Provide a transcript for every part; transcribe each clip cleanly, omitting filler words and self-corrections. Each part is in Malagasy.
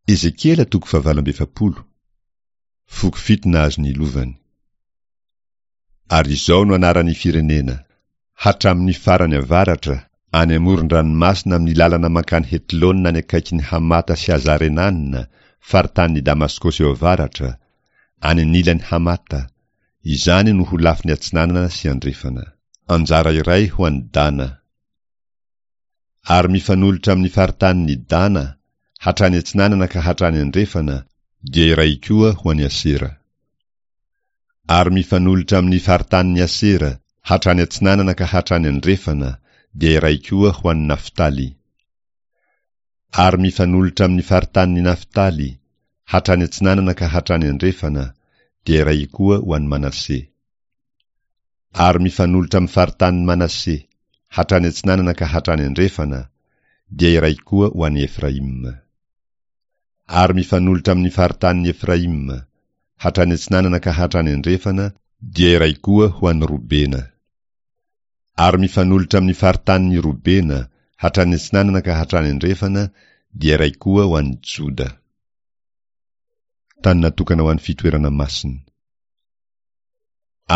Ezekiela toko fahavalo amby 40. Foko fito nahazo ny lovany. Ary izao no anaran'ny firenena, Hatramin'ny farany avaratra, any amoron-dranomasina amin'ny lalana mankany Hetlona any akaikin'i Hamata sy Hazarenana, faritanin'i Damaskosy eo avaratra, any anilan'i Hamata, izany no ho lafiny atsinanana sy andrefana. Anjara iray ho an'i Dana. Ary mifanolotra amin'ny faritanin'i Dana, hatrany atsinanana ka hatrany andrefana, dia iray koa ho an'i Asera. Ary mifanolotra amin'ny faritanin'i Asera, hatrany atsinanana ka hatrany andrefana, dia iray koa ho an'i Naftaly. Ary mifanolotra amin'ny faritanin'i Naftaly, hatrany atsinanana ka hatrany andrefana, dia iray koa ho an'i Manase. Ary mifanolotra amin'ny faritanin'i Manase, hatrany atsinanana ka hatrany andrefana, dia iray koa ho an'i Efraima. Ary mifanolotra amin'ny faritanin'i Efraima, hatrany atsinanana ka hatrany andrefana, dia iray koa ho an'i Robena. Ary mifanolotra amin'ny faritanin'i Robena, hatrany atsinanana ka hatrany andrefana, dia iray koa ho an'i Joda. Tany natokana ho an'ny fitoerana masina.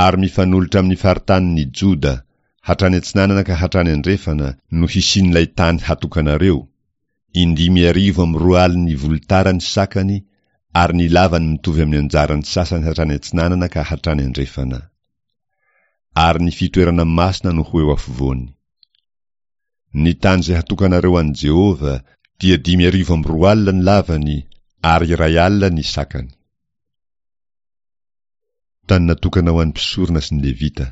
Ary mifanolotra amin'ny faritanin'i Joda, hatrany atsinanana ka hatrany andrefana, no hisian'ilay tany hatokanareo, indimy arivo amby roa alin'ny volotara ny sakany ary ny lavany mitovy amin'ny anjaran'ny sasany hatrany atsinanana ka hatrany andrefana. Ary ny fitoerana masina no ho eo afovoany. Ny tany izay hatokanareo an'i Jehovah dia 2005 ny lavany ary 1000 ny sakany. Tany natokana ho an'ny mpisorona sy ny Levita.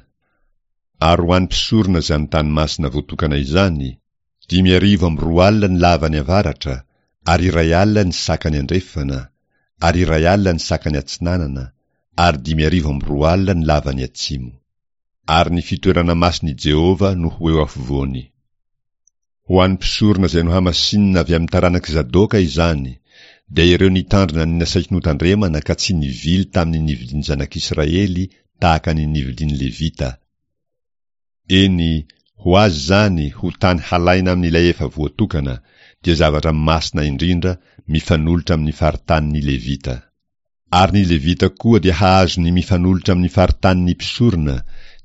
Ary ho an'ny mpisorona izany tany masina voatokana izany, 2005 ny lavany avaratra, ary 1000 ny sakany andrefana, ary 1000 ny sakany atsinanana, ary 2005 ny lavany atsimo. Ary ny fitoerana masin'i Jehovah no ho eo afovoany. Ho an'ny mpisorona izay nohamasinina avy amin'ny taranak'i Zadoka izany, dia ireo nitandrina ny nasaiko notandremana ka tsy nivily tamin'ny nivilian'ny zanak'Israely tahaka ny nivilian'ny Levita. Eny, ho azy izany ho tany halaina amin'ilay efa voatokana, dia zavatra masina indrindra mifanolotra amin'ny faritanin'ny Levita. Ary ny Levita koa dia hahazo ny mifanolotra amin'ny faritanin'ny mpisorona,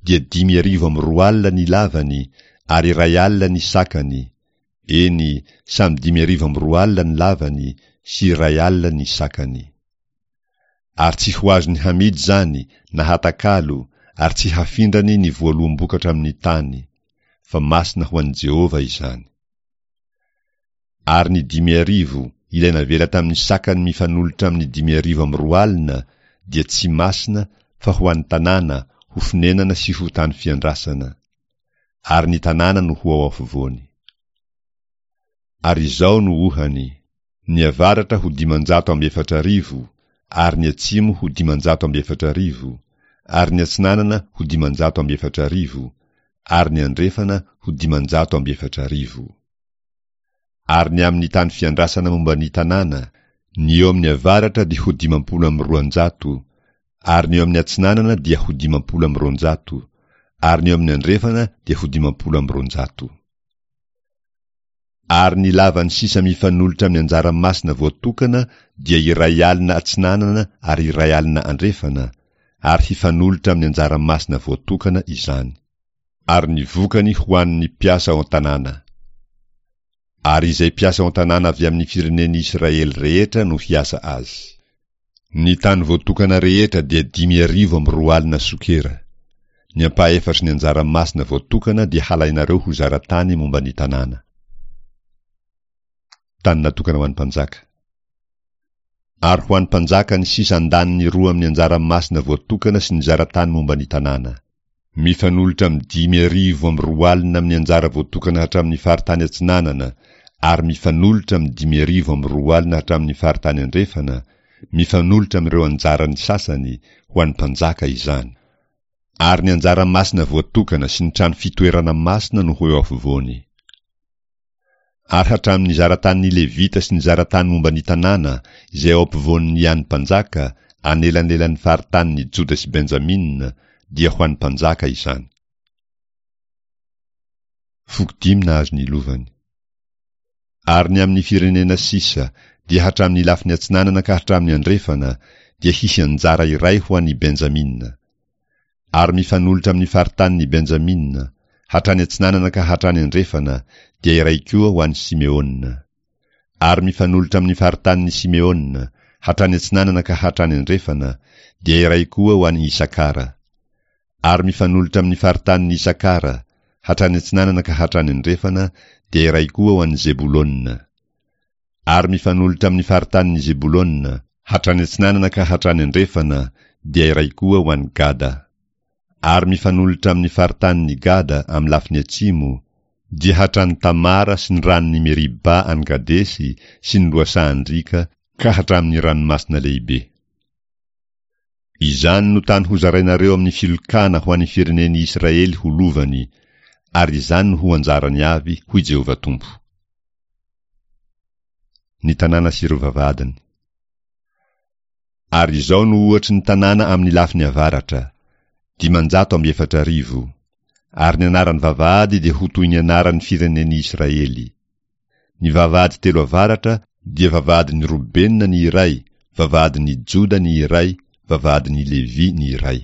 dia 2005 ny lavany, ary 1000 ny sakany, eny, samy 2005 ny lavany sy 1000 ny sakany. Ary tsy ho azony hamidy izany na hatakalo, ary tsy hafindrany ny voaloham-bokatra amin'ny tany, fa masina ho an'i Jehovah izany. Ary ny 5000, ilay navela tamin'ny sakany mifanolotra amin'ny 2005, dia tsy masina fa ho an'ny tanàna, ho fonenana sy ho tany fiandrasana. Ary ny tanàna no ho ao afovoany. Ary izao no ohany, ny avaratra ho 4005, ary ny atsimo ho 4005, ary ny atsinanana ho 4005, ary ny andrefana ho 4005. Ary ny amin'ny tany fiandrasana momba ny tanàna, ny eo amin'ny avaratra dia ho 250, ary ny eo amin'ny atsinanana dia ho 250, ary ny eo amin'ny andrefana dia ho 250. Ary ny lavany sisa mifanolotra amin'ny anjara masina voatokana dia 1000 atsinanana ary 1000 andrefana, ary hifanolotra amin'ny anjara masina voatokana izany. Ary ny vokany ho an'ny mpiasa ao an-tanàna. Ary izay mpiasa ao an-tanàna avy amin'ny firenen'i Israely rehetra no hiasa azy. Ny tany voatokana rehetra dia 2005 sokera. Ny ampahefatry ny anjara masina voatokana dia halainareo ho zara-tany momba ny tanàna. Tany natokana ho an'ny mpanjaka. Ary ho an'ny mpanjaka ny sisa andaniny roa amin'ny anjara masina voatokana sy ny zara-tany momba ny tanàna. Mifanolotra amin'ny 2005 amin'ny anjara voatokana hatramin'ny faritany atsinanana ary mifanolotra amin'ny 2005 hatramin'ny faritany andrefana, mifanolotra amin'ireo anjaran'ny sasany, ho an'ny mpanjaka izany. Ary ny anjara masina voatokana sy ny trano fitoerana masina no ho eo afovoany. Ary hatramin'ny zara-tanin'ny Levita sy ny zara-tany momba ny tanàna, izay ao ampovoan'ny an'ny mpanjaka, anelanelan'ny faritanin'i Joda sy Benjamina, dia ho an'ny mpanjaka izany. Foko dimy nahazo ny lovany. Ary ny amin'ny firenena sisa, dia hatramin'ny lafiny atsinanana ka hatramin'ny andrefana, dia hisy anjara iray ho an'i Benjamina. Ary mifanolotra amin'ny faritanin'i Benjamina, hatrany atsinanana ka hatrany andrefana, dia iray koa ho an'i Simeona. Ary mifanolotra amin'ny faritanin'i Simeona, hatrany atsinanana ka hatrany andrefana, dia iray koa ho an'i Isakara. Ary mifanolotra amin'ny faritanin'i Isakara, hatrany atsinanana ka hatrany andrefana, dia iray koa ho an'i Zebolona. Ary mifanolotra amin'ny faritanin'i Zebolona, hatrany atsinanana ka hatrany andrefana, dia iray koa ho an'i Gada. Ary mifanolotra amin'ny faritanin'i Gada amin'ny lafiny atsimo, dia hatrany Tamara sy ny ranon'i Meriba any Kadesy sy ny lohasahan-driaka ka hatramin'ny Ranomasina Lehibe. Izany no tany hozarainareo amin'ny filokana ho an'ny firenen'i Israely ho lovany, ary izany no ho anjarany avy, hoy Jehovah Tompo. Ny tanàna sy ireo vavahadiny. Ary izao no ohatry ny tanàna amin'ny lafiny avaratra, 440, ary ny anaran'ny vavahady dia ho toy ny anaran'ny firenen'i Israely. Ny vavahady telo avaratra dia vavahadin'i Robena ny iray, vavahadin'i Joda ny iray, vavahadin'i Levy ny iray.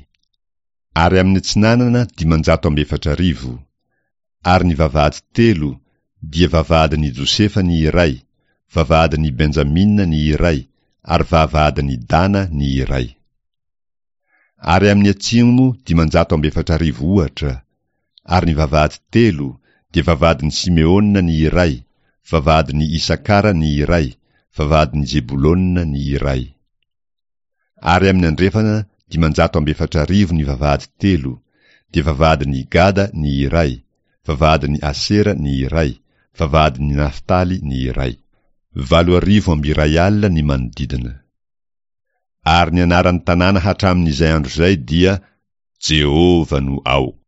Ary amin'ny atsinanana 450. Ary ny vavahady telo dia vavahadin'i Josefa ny iray, vavahadin'i Benjamina ny iray, ary vavahadin'i Dana ny iray. Ary amin'ny atsimo 450 ohatra, ary ny vavahady telo dia vavahadin'i Simeona ny iray, vavahadin'i Isakara ny iray, vavahadin'i Zebolona ny iray. Ary amin'ny andrefana 450 ny vavahady telo, dia vavahadin'i Gada ny iray, vavahadin'i Asera ny iray, vavahadin'i Naftaly ny iray. 1080 ny manodidina. Ary ny anaran'ny tanàna hatramin'izay andro izay dia Jehovah no ao.